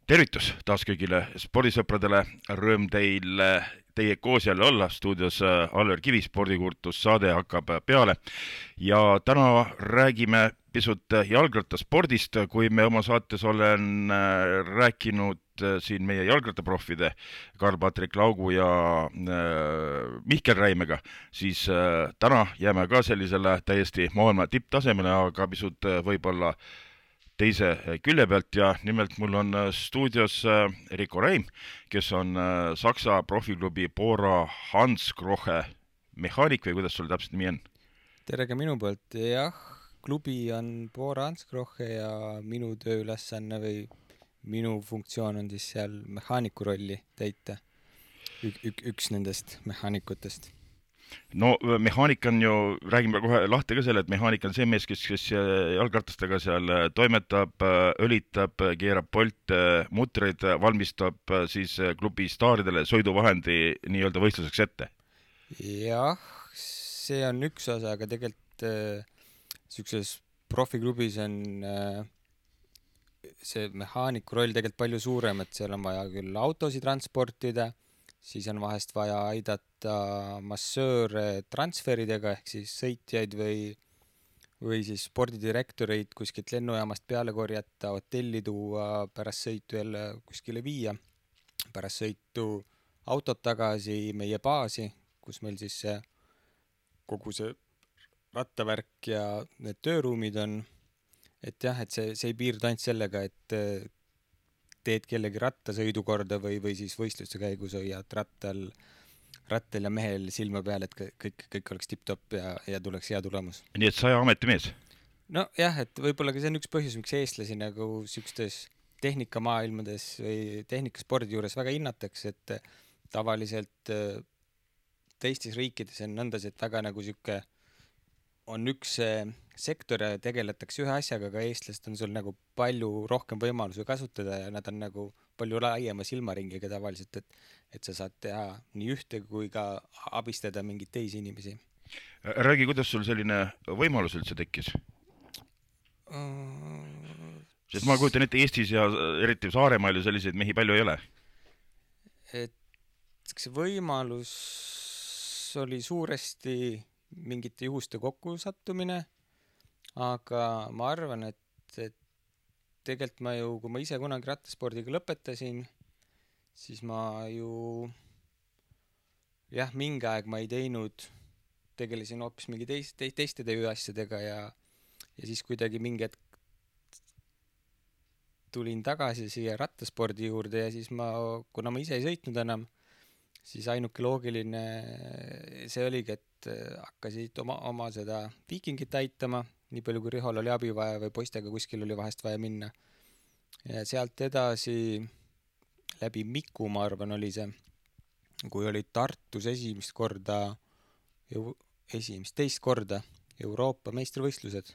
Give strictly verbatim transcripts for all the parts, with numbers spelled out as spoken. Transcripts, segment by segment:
Tervitus taas kõigile spordisõpradele, rõõm teil teie koos jälle olla, stuudios Alver Kivi, spordikurtus saade hakkab peale ja täna räägime pisut jalgrattaspordist, kui me oma saates olen rääkinud siin meie jalgrattaproffide Karl-Patrik Laugu ja äh, Mihkel Räimega, siis äh, täna jääme ka sellisele täiesti maailma tipptasemele, aga pisut äh, võib-olla teise külje pealt ja nimelt mul on stuudios Rico Reim, kes on Saksa profiklubi Bora Hansgrohe mehaanik või kuidas sul täpselt nimi on? Tere ka minu poolt, jah, klubi on Bora Hansgrohe ja minu tööülesanne või minu funktsioon on siis seal mehaaniku rolli täita. Ük, ük, üks nendest mehaanikutest. No mehaanik on ju, räägime kohe lahti ka selle, et mehaanik on see mees, kes, kes jalgratastega seal toimetab, õlitab, keerab polte, mutreid, valmistab siis klubi staaridele sõiduvahendi nii-öelda võistluseks ette. Jah, see on üks osa, aga tegelikult äh, siukses profiklubis on äh, see mehaaniku roll tegelikult palju suurem, et seal on vaja küll autosid transportida, siis on vahest vaja aidata massööre transferidega ehk siis sõitjaid või, või siis spordidirektoreid kuskilt lennujaamast peale korjata, hotelli tuua, pärast sõitu jälle kuskile viia, pärast sõitu autot tagasi meie baasi, kus meil siis see, kogu see rattavärk ja need tööruumid on, et jah, et see, see ei piirdu ainult sellega, et teed kellegi rattasõidu korda või, või siis võistluste käigus hoiad rattal, rattal ja mehel silma peal, et kõik, kõik oleks tipp-topp ja, ja tuleks hea tulemus. Nii et saja ametimees? No jah, et võib-olla ka see on üks põhjus, miks eestlasi nagu siukstes tehnikamaailmades või tehnikaspordi juures väga hinnatakse, et tavaliselt teistes riikides on nõndas, et väga nagu siuke on üks sektor ja tegeletakse ühe asjaga, aga eestlast on sul nagu palju rohkem võimalusi kasutada ja nad on nagu palju laiema silmaringiga tavaliselt, et, et sa saad teha nii ühte kui ka abistada mingeid teisi inimesi. Räägi, kuidas sul selline võimalus üldse tekkis? Sest ma kujutan ette, Eestis ja eriti Saaremaal ju selliseid mehi palju ei ole. Et see võimalus oli suuresti mingite juhuste kokkusattumine, aga ma arvan, et, et tegelikult ma ju, kui ma ise kunagi rattaspordiga lõpetasin, siis ma ju jah, mingi aeg ma ei teinud, tegelesin hoopis mingi teist, teist, teiste tööasjadega ja, ja siis kuidagi mingi hetk tulin tagasi siia rattaspordi juurde ja siis ma, kuna ma ise ei sõitnud enam, siis ainuke loogiline see oligi, et hakkasid oma, oma seda viikingit aitama, nii palju kui Rihol oli abi vaja või poistega kuskil oli vahest vaja minna. Ja sealt edasi läbi Miku, ma arvan, oli see, kui oli Tartus esimest korda, esimest, teist korda Euroopa meistrivõistlused,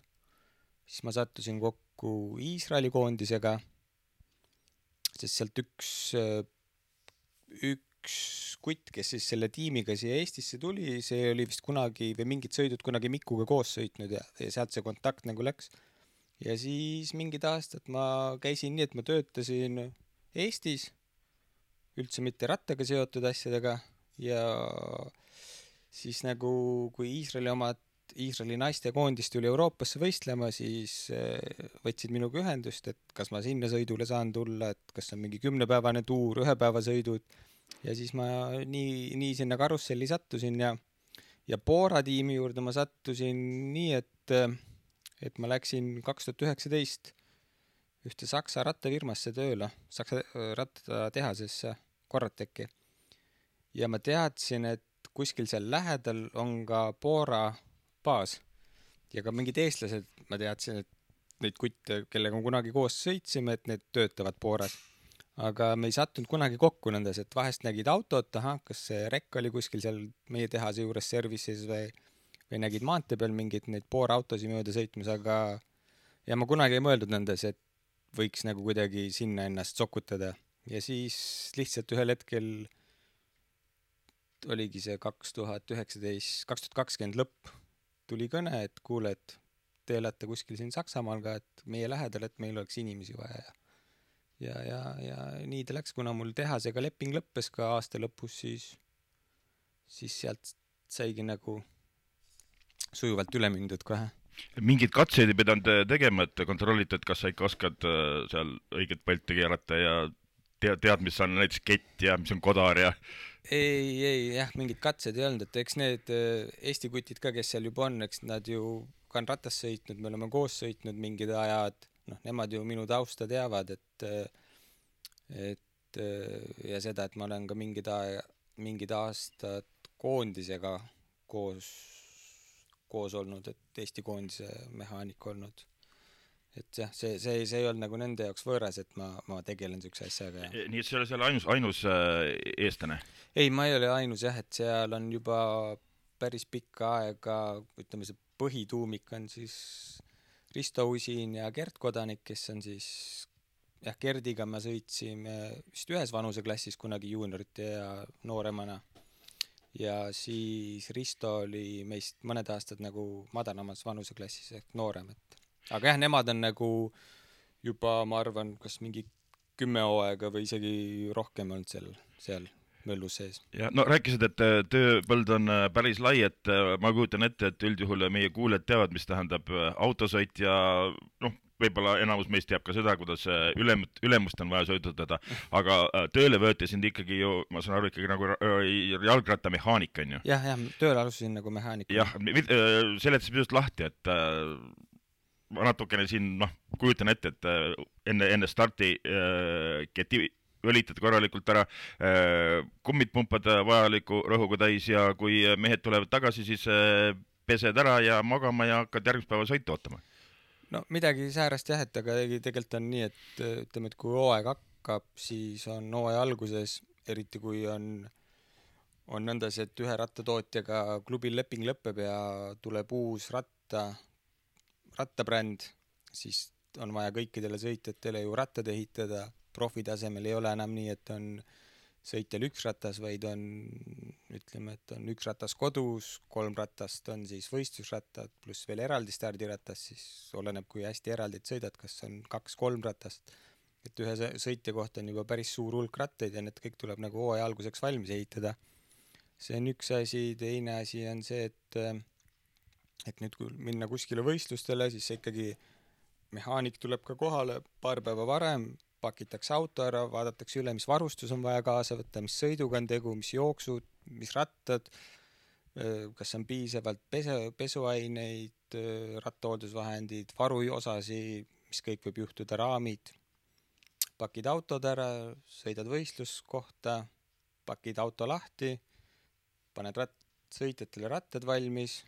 siis ma sattusin kokku Iisraeli koondisega, sest sealt üks, üks üks kutt, kes siis selle tiimiga siia Eestisse tuli, see oli vist kunagi või mingid sõidud kunagi Mikuga koos sõitnud ja, ja sealt see kontakt nagu läks. Ja siis mingid aastad ma käisin nii, et ma töötasin Eestis, üldse mitte rattaga seotud asjadega ja siis nagu kui Iisraeli omad, Iisraeli naiste koondis tuli Euroopasse võistlema, siis võtsid minuga ühendust, et kas ma sinna sõidule saan tulla, et kas on mingi kümnepäevane tuur, ühepäevasõidud. Ja siis ma nii, nii sinna karusselli sattusin ja, ja Bora tiimi juurde ma sattusin nii, et, et ma läksin kaks tuhat üheksateist ühte Saksa rattafirmasse tööle, Saksa rattatehasesse Corrateki. Ja ma teadsin, et kuskil seal lähedal on ka Bora baas ja ka mingid eestlased, ma teadsin, et neid kutte, kellega kunagi koos sõitsime, et need töötavad Boras. Aga me ei sattunud kunagi kokku nendes, et vahest nägid autot, aha, kas see rekk oli kuskil seal meie tehase juures services või, või nägid maantee peal mingid neid Bora autosi mööda sõitmas, aga ja ma kunagi ei mõeldud nendes, et võiks nagu kuidagi sinna ennast sokutada. Ja siis lihtsalt ühel hetkel oligi see kaks tuhat üheksateist, kaks tuhat kakskümmend lõpp, tuli kõne, et kuule, et te elate kuskil siin Saksamaal ka, et meie lähedal, et meil oleks inimesi vaja ja ja, ja, ja nii ta läks, kuna mul tehasega leping lõppes ka aasta lõpus, siis, siis sealt saigi nagu sujuvalt üle mindud kohe. Mingid katseid ei pidanud tegema, et kontrollite, et kas sa ikka oskad seal õiget palti keerata ja tead, tead, mis on näiteks kett ja mis on kodar ja... Ei, ei, jah, mingid katsed ei olnud, et eks need Eesti kutid ka, kes seal juba on, eks nad ju ka on ratas sõitnud, me oleme koos sõitnud mingid ajad, noh, nemad ju minu tausta teavad, et, et ja seda, et ma olen ka mingid, aja, mingid aastad koondisega koos koos olnud, et Eesti koondise mehaanik olnud. Et jah, see, see, see ei olnud nagu nende jaoks võõras, et ma, ma tegelen sükse asjaga. Ja. Nii et see oli seal ainus, ainus eestlane? Ei, ma ei ole ainus jah, et seal on juba päris pikka aega, ütleme see põhituumik on siis Risto Usin ja Gert Kodanik, kes on siis, jah, Gerdiga me sõitsime vist ühes vanuseklassis kunagi juuniorite ja nooremana. Ja siis Risto oli meist mõned aastad nagu madalamas vanuseklassis ehk noorem, et aga jah, nemad on nagu juba, ma arvan, kas mingi kümme hooaega või isegi rohkem olnud seal, seal möllus sees. Ja, no rääkisid, et tööpõld on päris lai, et ma kujutan ette, et üldjuhul meie kuuled teavad, mis tähendab autosõit ja noh, võib-olla enamus meist teab ka seda, kuidas ülem, ülemust on vaja sõidutada, aga tööle võeti sind ikkagi ju, ma saan aru, ikkagi nagu jalgrattamehaanik on ju? Jah, jah, tööle alustasin nagu mehaanik. Jah, seletasid pisut lahti, et ma natukene siin, noh, kujutan ette, et enne, enne starti keti õlitad korralikult ära, kummid pumpad vajaliku rõhuga täis ja kui mehed tulevad tagasi, siis pesed ära ja magama ja hakkad järgmist päeva sõitu ootama. No midagi säärast jah, et aga tegelikult on nii, et ütleme, et kui hooaeg hakkab, siis on hooaja alguses, eriti kui on, on nõndas, et ühe rattatootjaga klubil leping lõpeb ja tuleb uus ratta, rattabränd, siis on vaja kõikidele sõitjatele ju rattad ehitada, profitasemel ei ole enam nii, et on sõitjal üks ratas, vaid on, ütleme, et on üks ratas kodus, kolm ratast on siis võistlusrattad, pluss veel eraldi stardiratas, siis oleneb, kui hästi eraldid sõidad, kas on kaks-kolm ratast. Et ühe sõitja kohta on juba päris suur hulk rattaid ja need kõik tuleb nagu hooaja alguseks valmis ehitada. See on üks asi, teine asi on see, et, et nüüd kui minna kuskile võistlustele, siis ikkagi mehaanik tuleb ka kohale paar päeva varem, pakitakse auto ära, vaadatakse üle, mis varustus on vaja kaasa võtta, mis sõiduga on tegu, mis jooksud, mis rattad, kas on piisavalt pesu, pesuaineid, rattahooldusvahendid, varujosasi, mis kõik võib juhtuda, raamid. Pakid autod ära, sõidad võistluskohta, pakid auto lahti, paned rat-, sõitjatele rattad valmis,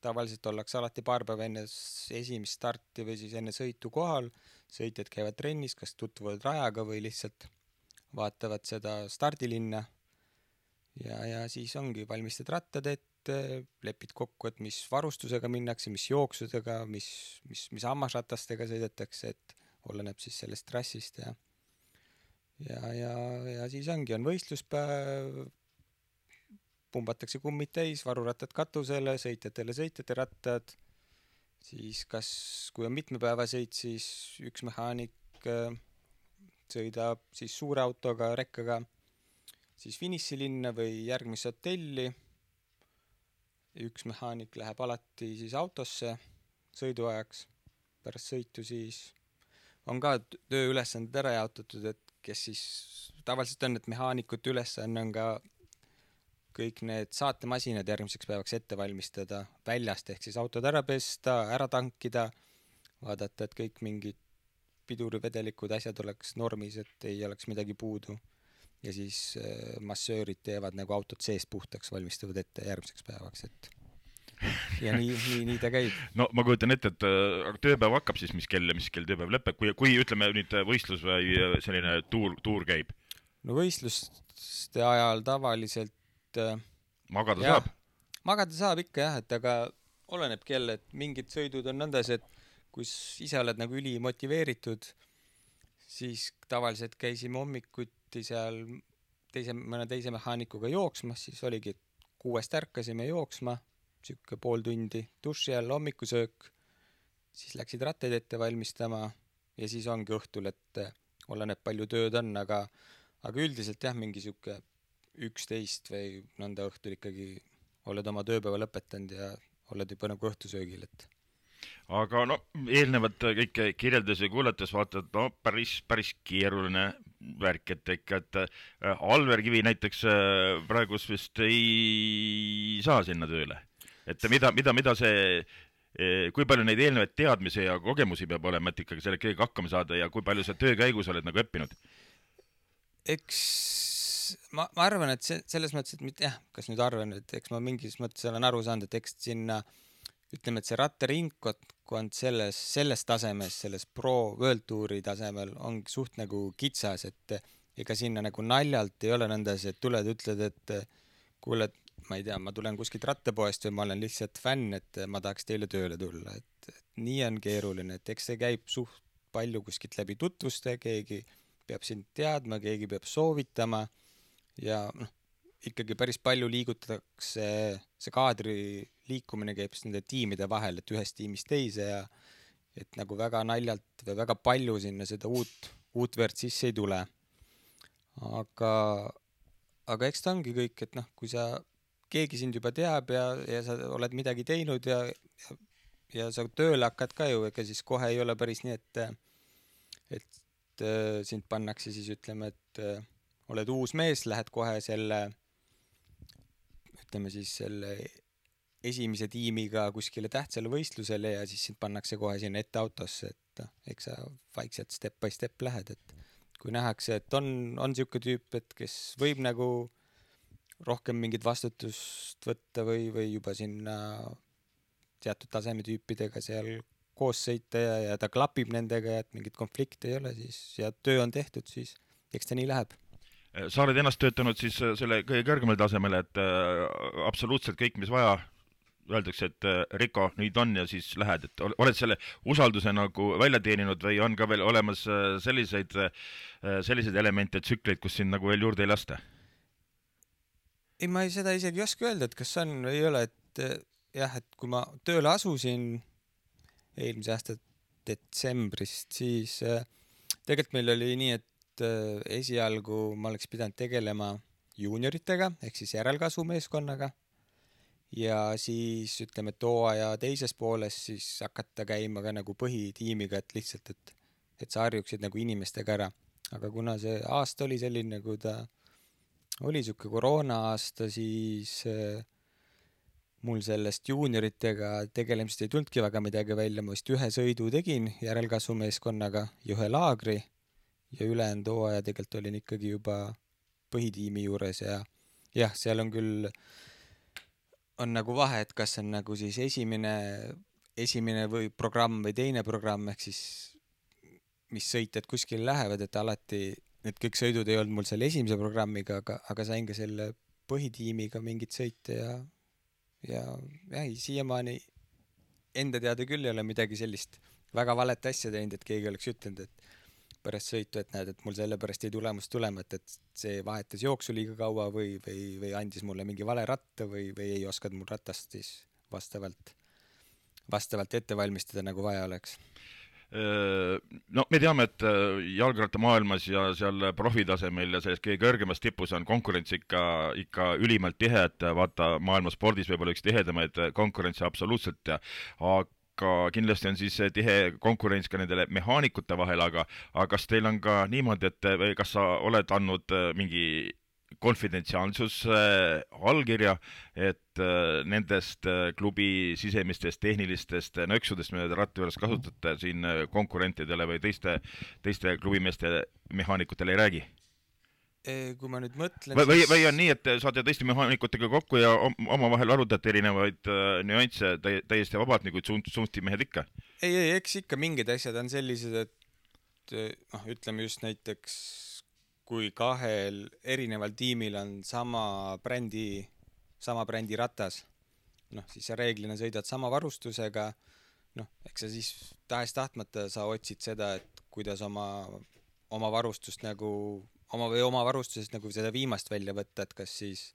tavaliselt ollakse alati paar päeva enne esimest starti või siis enne sõitu kohal, sõitjad käivad trennis, kas tutvuvad rajaga või lihtsalt vaatavad seda stardilinna ja, ja siis ongi valmistad rattad ette, lepid kokku, et mis varustusega minnakse, mis jooksudega, mis, mis, mis hammasratastega sõidetakse, et oleneb siis sellest trassist ja ja, ja, ja siis ongi, on võistluspäev, pumbatakse kummid täis, varurattad katusele, sõitjatele sõitjate rattad, siis kas, kui on mitme päeva sõit, siis üks mehaanik sõidab siis suure autoga, rekkaga, siis finissilinna või järgmisse hotelli, üks mehaanik läheb alati siis autosse sõiduajaks, pärast sõitu siis on ka tööülesanded ära jaotatud, et kes siis tavaliselt on, et mehaanikute ülesanne on ka kõik need saatemasinad järgmiseks päevaks ette valmistada väljast, ehk siis autod ära pesta, ära tankida, vaadata, et kõik mingid pidurivedelikud asjad oleks normis, et ei oleks midagi puudu. Ja siis massöörid teevad nagu autot seest puhtaks, valmistavad ette järgmiseks päevaks, et ja nii, nii, nii ta käib. No ma kujutan ette, et tööpäev hakkab siis, mis kell ja mis kell tööpäev lõpeb, kui, kui ütleme nüüd võistlus või selline tuur, tuur käib? No võistluste ajal tavaliselt magada jah, saab? Magada saab ikka jah, et aga oleneb kell, et mingid sõidud on nõndas, et kui ise oled nagu üli motiveeritud, siis tavaliselt käisime hommikuti seal teise, mõne teise mehaanikuga jooksmas, siis oligi, et kuuest ärkasime jooksma, siuke pool tundi duši all, hommikusöök, siis läksid rattaid ette valmistama ja siis ongi õhtul, et oleneb palju tööd on, aga aga üldiselt jah, mingi sihuke üksteist või nõnda õhtul ikkagi oled oma tööpäeva lõpetanud ja oled juba nagu õhtusöögil, et aga no eelnevat kõike kirjeldas ja kuulates vaatad, no päris, päris keeruline värk, et ikka, et äh, Alver Kivi näiteks äh, praegus vist ei saa sinna tööle. Et mida, mida, mida see, äh, kui palju neid eelnevaid teadmisi ja kogemusi peab olema, et ikkagi selle kõigega hakkama saada ja kui palju sa töö käigus oled nagu õppinud? eks ma, ma arvan, et see, selles mõttes, et mitte jah, kas nüüd arvan, et eks ma mingis mõttes olen aru saanud, et eks sinna ütleme, et see rattaringkond selles, selles tasemes, selles pro World Touri tasemel ongi suht nagu kitsas, et ega sinna nagu naljalt ei ole nõndas, et tuled, ütled, et kuule, ma ei tea, ma tulen kuskilt rattapoest või ma olen lihtsalt fänn, et ma tahaks teile tööle tulla, et, et nii on keeruline, et eks see käib suht palju kuskilt läbi tutvuste, keegi peab sind teadma, keegi peab soovitama ja noh, ikkagi päris palju liigutatakse, see kaadri liikumine käib nende tiimide vahel, et ühest tiimist teise ja et nagu väga naljalt või väga palju sinna seda uut, uut verd sisse ei tule. Aga, aga eks ta ongi kõik, et noh, kui sa, keegi sind juba teab ja, ja sa oled midagi teinud ja, ja, ja sa tööle hakkad ka ju, ega siis kohe ei ole päris nii, et, et sind pannakse siis ütleme, et oled uus mees, lähed kohe selle ütleme siis selle esimese tiimiga kuskile tähtsale võistlusele ja siis sind pannakse kohe sinna ette autosse, et eks sa vaikselt step by step lähed, et kui nähakse, et on, on siuke tüüp, et kes võib nagu rohkem mingit vastutust võtta või, või juba sinna teatud taseme tüüpidega seal koos sõita ja, ja ta klapib nendega ja et mingit konflikti ei ole, siis ja töö on tehtud, siis eks ta nii läheb. Sa oled ennast töötanud siis selle kõige kõrgemal tasemel, et äh, absoluutselt kõik, mis vaja, öeldakse, et äh, Riko, nüüd on ja siis lähed, et oled selle usalduse nagu välja teeninud või on ka veel olemas äh, selliseid, äh, selliseid elemente, tsükleid, kus sind nagu veel juurde ei lasta? Ei, ma ei, seda isegi ei oska öelda, et kas on või ei ole, et jah, et kui ma tööle asusin eelmise aasta detsembrist, siis äh, tegelikult meil oli nii, et äh, esialgu ma oleks pidanud tegelema juunioritega ehk siis järelkasvumeeskonnaga ja siis ütleme, et hooaja teises pooles siis hakata käima ka nagu põhitiimiga, et lihtsalt, et, et sa harjuksid nagu inimestega ära. Aga kuna see aasta oli selline, kui ta oli siuke koroona aasta, siis äh, mul sellest juunioritega tegelemist ei tulnudki väga midagi välja, ma vist ühe sõidu tegin järelkasvumeeskonnaga ja ühe laagri ja ülejäänud hooaja tegelikult olin ikkagi juba põhitiimi juures ja jah, seal on küll, on nagu vahe, et kas on nagu siis esimene, esimene või programm või teine programm, ehk siis mis sõitjad kuskil lähevad, et alati need kõik sõidud ei olnud mul selle esimese programmiga, aga, aga sain ka selle põhitiimiga mingit sõite ja ja jah, siiamaani enda teada küll ei ole midagi sellist väga valet asja teinud, et keegi oleks ütelnud, et pärast sõitu, et näed, et mul sellepärast ei tulemus tulema, et, et see vahetas jooksu liiga kaua või, või, või andis mulle mingi vale ratta või, või ei oskanud mul ratast siis vastavalt, vastavalt ette valmistada, nagu vaja oleks. No me teame, et jalgrattamaailmas ja seal profitasemel ja selles kõige kõrgemas tipus on konkurents ikka, ikka ülimalt tihe, et vaata maailma spordis võib-olla üks tihedamaid konkurentse absoluutselt, aga kindlasti on siis tihe konkurents ka nendele mehaanikute vahel, aga, aga kas teil on ka niimoodi, et või kas sa oled andnud mingi konfidentsiaalsus äh, allkirja, et äh, nendest äh, klubi sisemistest tehnilistest nõksudest, mida te ratta juures kasutate siin konkurentidele või teiste, teiste klubimeeste mehaanikutele ei räägi? Kui ma nüüd mõtlen või, siis... või on nii, et saate teiste mehaanikutega kokku ja omavahel arutate erinevaid äh, nüansse tä täiesti vabalt, nagu suunti mehed ikka? Ei, ei, eks ikka mingid asjad on sellised, et noh, ütleme just näiteks kui kahel erineval tiimil on sama brändi, sama brändi ratas, noh, siis sa reeglina sõidad sama varustusega, noh, eks sa siis tahes tahtmata sa otsid seda, et kuidas oma, oma varustust nagu, oma või oma varustusest nagu seda viimast välja võtta, et kas siis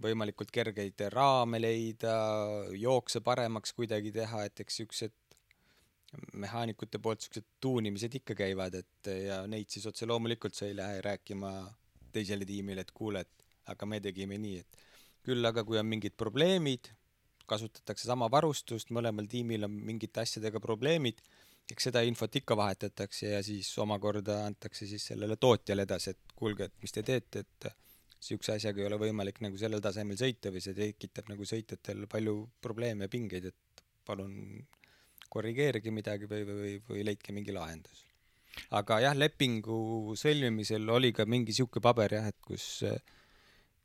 võimalikult kergeid raame leida, jookse paremaks kuidagi teha, et eks siuksed mehaanikute poolt siuksed tuunimised ikka käivad, et ja neid siis otse loomulikult sa ei lähe rääkima teisele tiimile, et kuule, et aga me tegime nii, et küll aga kui on mingid probleemid, kasutatakse sama varustust, mõlemal tiimil on mingite asjadega probleemid, eks seda infot ikka vahetatakse ja siis omakorda antakse siis sellele tootjale edasi, et kuulge, et mis te teete, et siukse asjaga ei ole võimalik nagu sellel tasemel sõita või see tekitab nagu sõitjatel palju probleeme ja pingeid, et palun korrigeerige midagi või, või, või, või leidke mingi lahendus. Aga jah, lepingu sõlmimisel oli ka mingi siuke paber jah, et kus,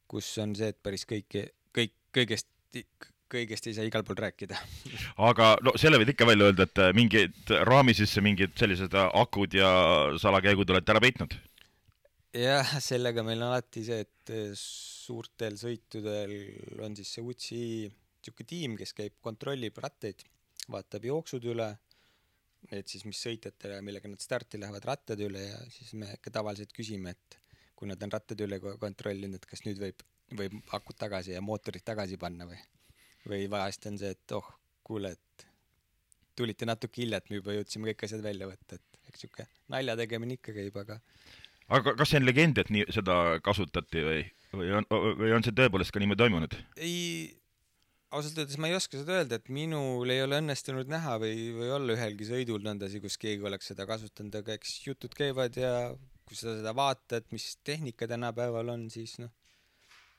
kus on see, et päris kõik, kõik, kõigest, kõigest ei saa igal pool rääkida. Aga no selle võid ikka välja öelda, et mingid raami sisse mingid sellised akud ja salakäigud olete ära peitnud? Jah, sellega meil on alati see, et suurtel sõitudel on siis see U C I siuke tiim, kes käib, kontrollib ratteid, vaatab jooksud üle, et siis mis sõitjatele, millega nad starti lähevad rattad üle ja siis me ikka tavaliselt küsime, et kui nad on rattad üle kontrollinud, et kas nüüd võib, võib akud tagasi ja mootorid tagasi panna või, või vahest on see, et oh, kuule, et tulite natuke hilja, et me juba jõudsime kõik asjad välja võtta, et eks siuke nalja tegemine ikka käib, aga Aga kas see on legend, et nii seda kasutati või, või, on, või on see tõepoolest ka niimoodi toimunud? Ei, ausalt öeldes ma ei oska seda öelda, et minul ei ole õnnestunud näha või, või olla ühelgi sõidul nõndasi, kus keegi oleks seda kasutanud, aga eks jutud käivad ja kui sa seda vaatad, mis tehnika tänapäeval on, siis noh,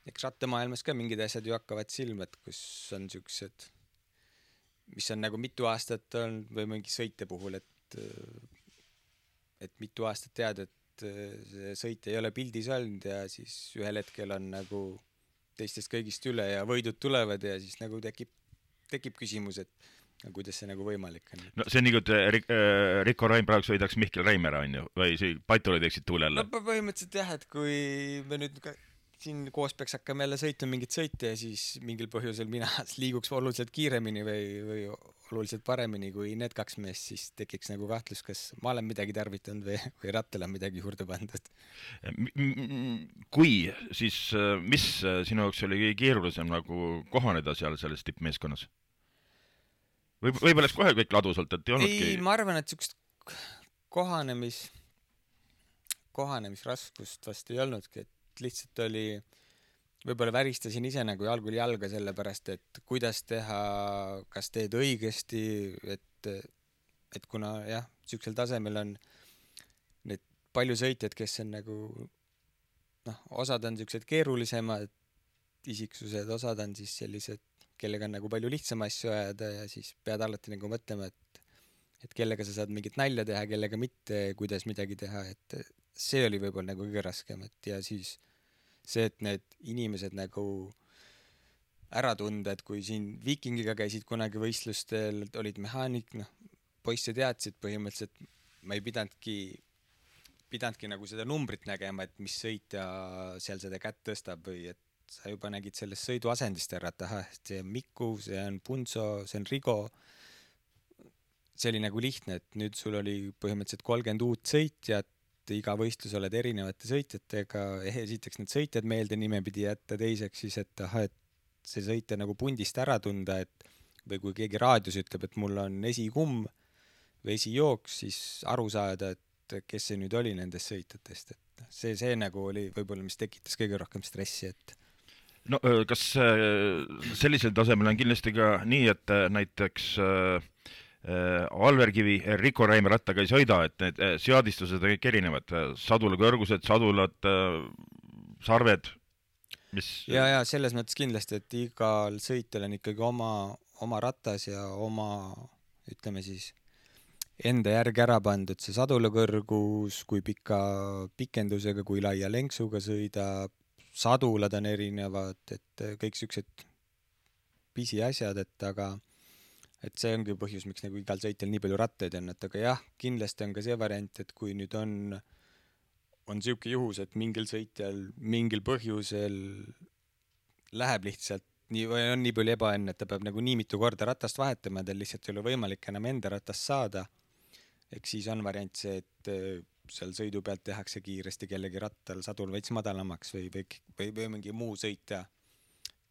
eks rattemaailmas ka mingid asjad ju hakkavad silma, et kus on siuksed, mis on nagu mitu aastat on või mingi sõite puhul, et, et mitu aastat tead, et see sõit ei ole pildis olnud ja siis ühel hetkel on nagu teistest kõigist üle ja võidud tulevad ja siis nagu tekib, tekib küsimus, et kuidas see nagu võimalik on. No see on nii, et Rik- äh, Rikko Raim praegu sõidaks Mihkel Reimera, on ju, või see Patuli teeksid tuulele? No põhimõtteliselt jah, et kui me nüüd ka siin koos peaks hakkama jälle sõitma mingit sõite ja siis mingil põhjusel mina liiguks oluliselt kiiremini või, või oluliselt paremini kui need kaks meest, siis tekiks nagu kahtlus, kas ma olen midagi tarvitanud või, või rattel on midagi juurde pandud. Kui, siis mis sinu jaoks oli kõige keerulisem nagu kohaneda seal selles tippmeeskonnas? Või, võib-olla oleks kohe kõik ladusalt, et ei olnudki? Ei, ma arvan, et siukest kohanemis, kohanemisraskust vast ei olnudki, et lihtsalt oli, võib-olla väristasin ise nagu algul jalga selle pärast, et kuidas teha, kas teed õigesti, et, et kuna jah, siuksel tasemel on need palju sõitjad, kes on nagu noh, osad on siuksed keerulisemad isiksused, osad on siis sellised, kellega on nagu palju lihtsam asju ajada ja siis pead alati nagu mõtlema, et, et kellega sa saad mingit nalja teha, kellega mitte, kuidas midagi teha, et see oli võib-olla nagu kõige raskem, et ja siis see, et need inimesed nagu ära tunda, et kui siin Viikingiga käisid kunagi võistlustel, olid mehaanik, noh, poisse teadsid põhimõtteliselt, ma ei pidanudki, pidanudki nagu seda numbrit nägema, et mis sõitja seal seda kätt tõstab või et sa juba nägid sellest sõiduasendist ära, et ahah, see on Miku, see on Punso, see on Rigo. See oli nagu lihtne, et nüüd sul oli põhimõtteliselt kolmkümmend uut sõitjat, iga võistlus oled erinevate sõitjatega, esiteks need sõitjad meelde nime pidi jätta, teiseks siis, et aha, et see sõitja nagu pundist ära tunda, et või kui keegi raadios ütleb, et mul on esikumm või esijooks, siis aru saada, et kes see nüüd oli nendest sõitjatest, et see, see nagu oli võib-olla, mis tekitas kõige rohkem stressi, et no kas sellisel tasemel on kindlasti ka nii, et näiteks Alverkivi Rikko Raime rattaga ei sõida, et need seadistused on kõik erinevad, sadula kõrgused, sadulad, sarved, mis ja, ja selles mõttes kindlasti, et igal sõitjal on ikkagi oma, oma ratas ja oma, ütleme siis enda järgi ära pandud see sadula kõrgus, kui pika pikendusega, kui laia lenksuga sõidab, sadulad on erinevad, et kõik siuksed pisiasjad, et aga et see ongi põhjus, miks nagu igal sõitjal nii palju rattaid on, et aga jah, kindlasti on ka see variant, et kui nüüd on on siuke juhus, et mingil sõitjal mingil põhjusel läheb lihtsalt nii, või on nii palju ebaõnne, et ta peab nagu nii mitu korda ratast vahetama, tal lihtsalt ei ole võimalik enam enda ratast saada, eks siis on variant see, et seal sõidu pealt tehakse kiiresti kellegi rattal sadul veits madalamaks või, või, või, või mingi muu sõitja,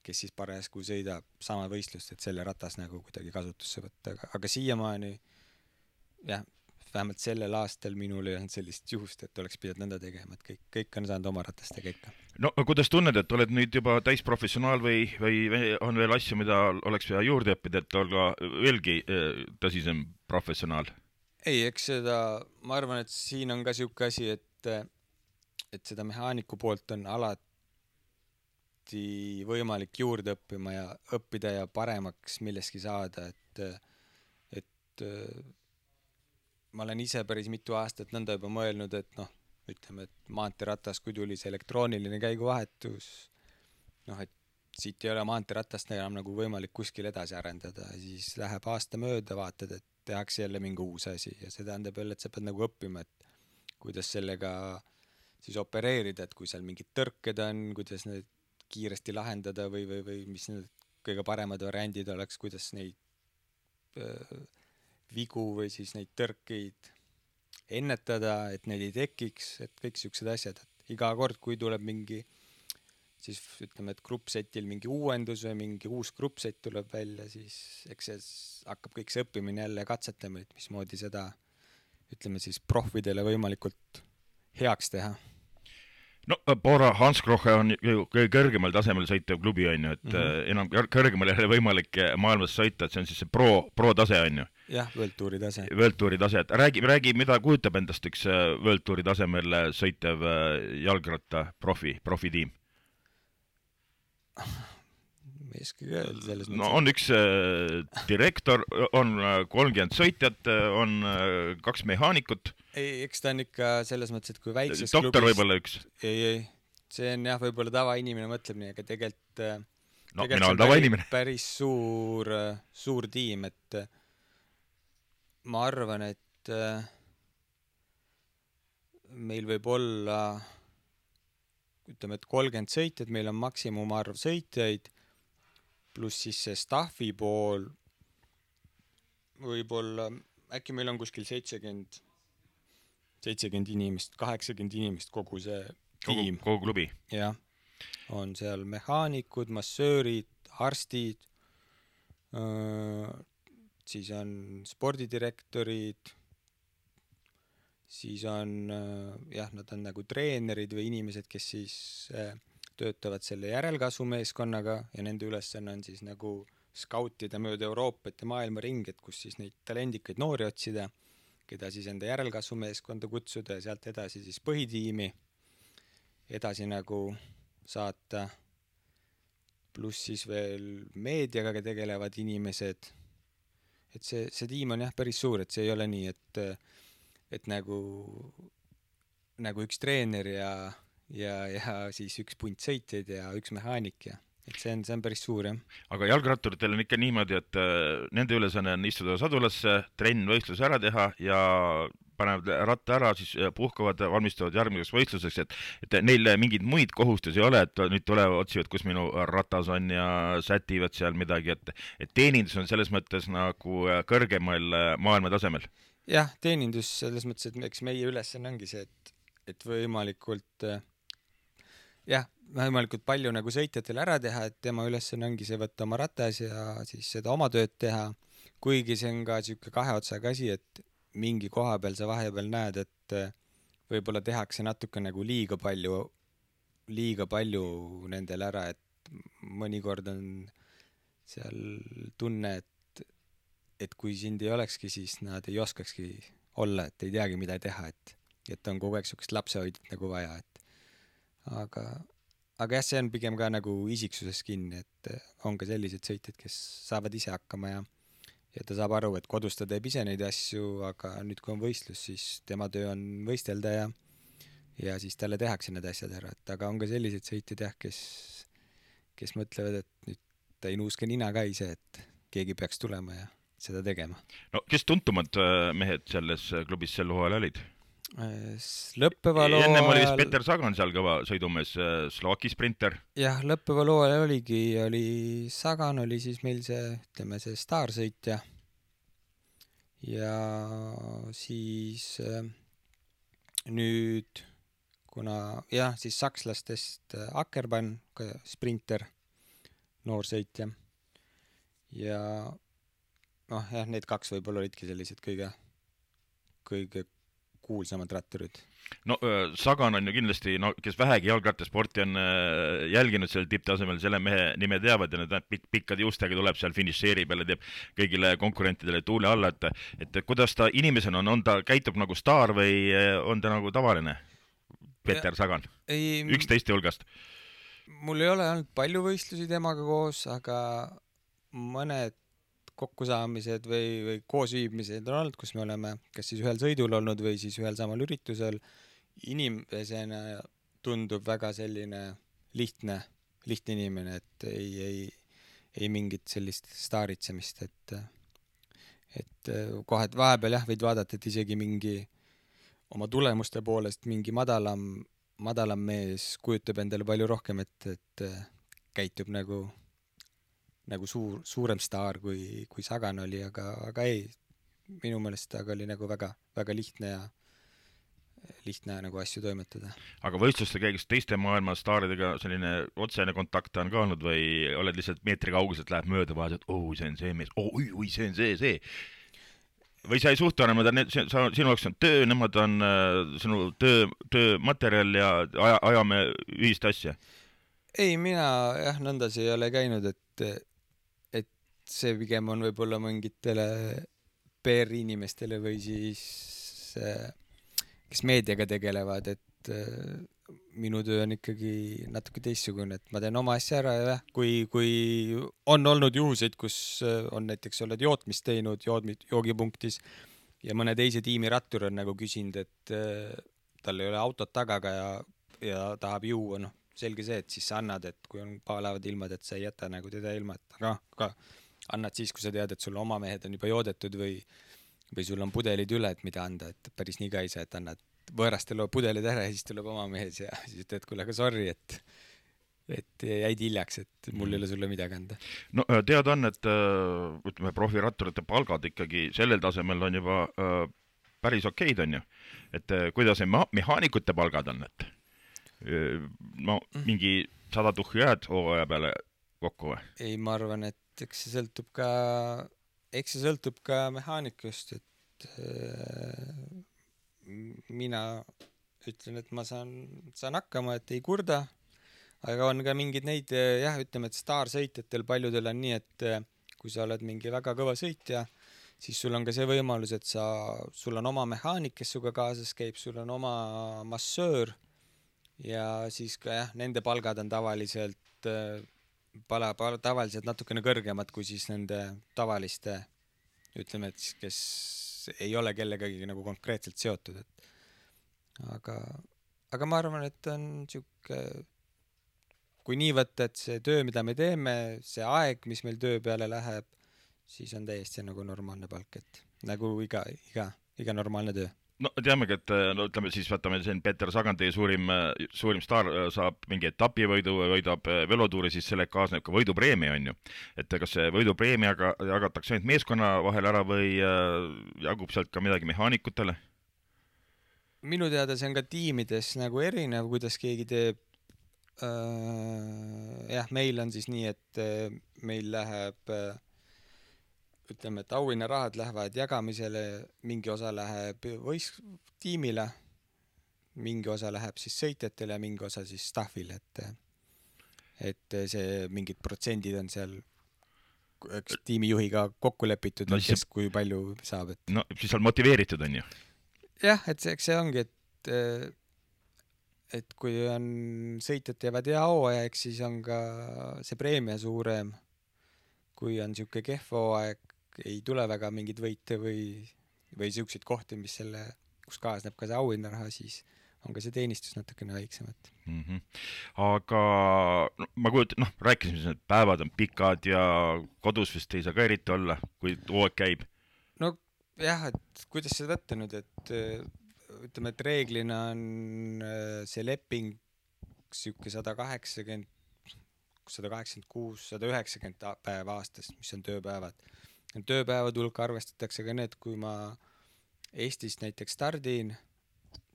kes siis parajasku sõidab sama võistlust, et selle ratas nagu kuidagi kasutusse võtta, aga, aga siiamaani jah, vähemalt sellel aastal minul ei olnud sellist juhust, et oleks pidanud nõnda tegema, et kõik, kõik on saanud oma ratastega ikka. No kuidas tunned, et oled nüüd juba täisprofessionaal või, või on veel asju, mida oleks vaja juurde õppida, et olla veelgi tõsisem professionaal? Ei, eks seda, ma arvan, et siin on ka siuke asi, et, et seda mehaaniku poolt on alati võimalik juurde õppima ja õppida ja paremaks milleski saada, et, et ma olen ise päris mitu aastat nõnda juba mõelnud, et noh, ütleme, et maanteeratas, kui tuli see elektrooniline käiguvahetus, noh, et siit ei ole maanteeratast enam nagu võimalik kuskil edasi arendada, siis läheb aasta mööda, vaatad, et tehakse jälle mingi uus asi ja see tähendab jälle, et sa pead nagu õppima, et kuidas sellega siis opereerida, et kui seal mingid tõrked on, kuidas need kiiresti lahendada või, või, või mis need kõige paremad variandid oleks, kuidas neid äh, vigu või siis neid tõrkeid ennetada, et neid ei tekiks, et kõik siuksed asjad, et iga kord, kui tuleb mingi siis ütleme, et gruppsetil mingi uuendus või mingi uus gruppset tuleb välja, siis eks see hakkab kõik see õppimine jälle katsetama, et mismoodi seda ütleme siis profidele võimalikult heaks teha. No Bora Hansgrohe on kõige kõrgemal tasemel sõitev klubi, on ju, et mm -hmm. enam kõrgemal ei ole võimalik maailmas sõita, et see on siis see pro, pro tase, on ju. Jah, World Touri tase. World Touri tase, et räägi, räägi, mida kujutab endast üks World Touri tasemel sõitev jalgratta profi, profitiim? Ma ei oska öelda selles mõttes. No on üks äh, direktor, on kolmkümmend sõitjat, on äh, kaks mehaanikut. Ei, eks ta on ikka selles mõttes, et kui väikses doktor klubis... võib-olla üks. Ei, ei, see on jah, võib-olla tavainimene mõtleb nii, aga tegelikult, no, tegelikult see on päris, päris suur, suur tiim, et ma arvan, et meil võib olla ütleme, et kolmkümmend sõitjad, meil on maksimumarv sõitjaid, pluss siis see staffi pool võib-olla, äkki meil on kuskil seitsekümmend, seitsekümmend inimest, kaheksakümmend inimest kogu see tiim. Kogu, kogu klubi. Jah, on seal mehaanikud, massöörid, arstid, siis on spordidirektorid, siis on, jah, nad on nagu treenerid või inimesed, kes siis töötavad selle järelkasvumeeskonnaga ja nende ülesanne on siis nagu skautida mööda Euroopat ja maailma ring, et kus siis neid talendikaid noori otsida, keda siis enda järelkasvumeeskonda kutsuda ja sealt edasi siis põhitiimi edasi nagu saata, pluss siis veel meediaga tegelevad inimesed. Et see, see tiim on jah päris suur, et see ei ole nii, et, et nagu, nagu üks treener ja, ja, ja siis üks punt sõitjaid ja üks mehaanik ja et see on, see on päris suur, jah. Aga jalgratturitel on ikka niimoodi, et äh, nende ülesanne on istuda sadulasse, trenn võistlus ära teha ja panevad ratta ära, siis puhkavad, valmistuvad järgmiseks võistluseks, et, et neil mingeid muid kohustusi ei ole, et nüüd tulevad, otsivad, kus minu ratas on ja sätivad seal midagi, et, et teenindus on selles mõttes nagu kõrgemal maailma tasemel. Jah, teenindus selles mõttes, et eks meie ülesanne ongi see, et, et võimalikult jah, võimalikult palju nagu sõitjatel ära teha, et tema ülesanne ongi see võtta oma ratas ja siis seda oma tööd teha, kuigi see on ka siuke kahe otsaga asi, et mingi koha peal sa vahepeal näed, et võib-olla tehakse natuke nagu liiga palju, liiga palju nendel ära, et mõnikord on seal tunne, et, et kui sind ei olekski, siis nad ei oskakski olla, et ei teagi, mida teha, et, et on kogu aeg siukest lapsehoidjat nagu vaja, et aga, aga jah, see on pigem ka nagu isiksuses kinni, et on ka sellised sõitjad, kes saavad ise hakkama ja ja ta saab aru, et kodus ta teeb ise neid asju, aga nüüd kui on võistlus, siis tema töö on võistelda ja ja siis talle tehakse need asjad ära, et aga on ka sellised sõitjad jah, kes kes mõtlevad, et nüüd ta ei nuuske nina ka ise, et keegi peaks tulema ja seda tegema. No kes tuntumad mehed selles klubis sel hooajal olid? Lõppeva loo Ennem oli vist Peter Sagan seal kõva sõidumees, Slovaki sprinter. Jah, lõppeva loo ajal oligi, oli Sagan oli siis meil see, ütleme see staarsõitja ja siis nüüd, kuna jah, siis sakslastest Ackermann, sprinter, noorsõitja ja noh, jah, need kaks võib-olla olidki sellised kõige kõige kuulsamad ratturid. No Sagan on ju kindlasti, no kes vähegi jalgrattasporti on jälginud seal tipptasemel, selle mehe nime teavad ja need pik pikkade juustega tuleb seal finišeerib ja teeb kõigile konkurentidele tuule alla, et, et kuidas ta inimesena on, on ta käitub nagu staar või on ta nagu tavaline Peeter ja, Sagan? Üks teiste hulgast. Mul ei ole olnud palju võistlusi temaga koos, aga mõned kokkusaamised või, või koosviibmised on olnud, kus me oleme kas siis ühel sõidul olnud või siis ühel samal üritusel. Inimesena tundub väga selline lihtne, lihtne inimene, et ei, ei, ei mingit sellist staaritsemist, et, et kohe vahepeal jah, võid vaadata, et isegi mingi oma tulemuste poolest mingi madalam, madalam mees kujutab endale palju rohkem, et, et käitub nagu nagu suur, suurem staar kui, kui Sagan oli, aga, aga ei, minu meelest aga oli nagu väga, väga lihtne ja lihtne nagu asju toimetada. Aga võistluste käigus teiste maailma staaridega selline otsene kontakt on ka olnud või oled lihtsalt meetri kauguselt läheb mööda vahet, et oh, see on see mees, oh, oi, see on see, see. Või sa ei suhtu enam, sinu jaoks on töö, nemad on sinu töö, töömaterjal ja aja, ajame ühist asja? Ei, mina jah, nõndas ei ole käinud, et see pigem on võib-olla mingitele P R-inimestele või siis kes meediaga tegelevad, et minu töö on ikkagi natuke teistsugune, et ma teen oma asja ära ja kui, kui on olnud juhuseid, kus on näiteks oled jootmist teinud joodmid, joogipunktis ja mõne teise tiimi rattur on nagu küsinud, et tal ei ole autot tagaga ja, ja tahab juua, noh, selge see, et siis sa annad, et kui on paalaavad ilmad, et sa ei jäta nagu teda ilma, et aga, aga annad siis, kui sa tead, et sul oma mehed on juba joodetud või, või sul on pudelid üle, et mida anda, et päris nii ka ei saa, et annad võõrastele pudelid ära ja siis tuleb oma mehes ja siis ütled, kuule, aga sorry, et, et jäid hiljaks, et mul ei ole sulle midagi anda. No teada on, et ütleme, profiratturite palgad ikkagi sellel tasemel on juba päris okeid, on ju. Et kuidas mehaanikute palgad on, et no mingi sada tuhhi jääd hooaja peale kokku või? Ei, ma arvan, et eks see sõltub ka, eks see sõltub ka mehaanikust, et äh, mina ütlen, et ma saan, saan hakkama, et ei kurda, aga on ka mingid neid, jah, ütleme, et staarsõitjatel paljudel on nii, et kui sa oled mingi väga kõva sõitja, siis sul on ka see võimalus, et sa, sul on oma mehaanik, kes suga kaasas käib, sul on oma massöör ja siis ka jah, nende palgad on tavaliselt äh, pala, pala, tavaliselt natukene kõrgemad kui siis nende tavaliste, ütleme, et kes ei ole kellegagi nagu konkreetselt seotud, et aga, aga ma arvan, et on siuke, kui nii võtta, et see töö, mida me teeme, see aeg, mis meil töö peale läheb, siis on täiesti nagu normaalne palk, et nagu iga, iga, iga normaalne töö. No teamegi, et no ütleme siis võtame siin Peeter Sagan, teie suurim, suurim staar saab mingi etapivõidu või võidab velotuuri, siis selle kaasneb ka võidupreemia, on ju. Et kas see võidupreemiaga jagatakse ainult meeskonna vahel ära või jagub sealt ka midagi mehaanikutele? Minu teada see on ka tiimides nagu erinev, kuidas keegi teeb. Jah, meil on siis nii, et meil läheb ütleme, et auhinnarahad lähevad jagamisele, mingi osa läheb võis tiimile, mingi osa läheb siis sõitjatele ja mingi osa siis staffile, et, et see mingid protsendid on seal üks tiimijuhiga kokku lepitud, no, kes see... kui palju saab. Et... No siis on motiveeritud, on ju? Jah, et see, see ongi, et, et kui on sõitjad teevad hea hooaja, eks siis on ka see preemia suurem, kui on siuke kehv hooaeg, ei tule väga mingid võite või, või siukseid kohti, mis selle, kus kaasneb ka see auhinnaraha, siis on ka see teenistus natukene väiksemat. Mm -hmm. Aga no, ma kujutan, noh, rääkisime, et päevad on pikad ja kodus vist ei saa ka eriti olla, kui hooaeg käib. No jah, et kuidas seda võtta nüüd, et ütleme, et reeglina on see leping siuke sada kaheksakümmend, sada kaheksakümmend kuus, sada üheksakümmend päeva aastas, mis on tööpäevad. Tööpäevad hulka arvestatakse ka need, kui ma Eestist näiteks stardin,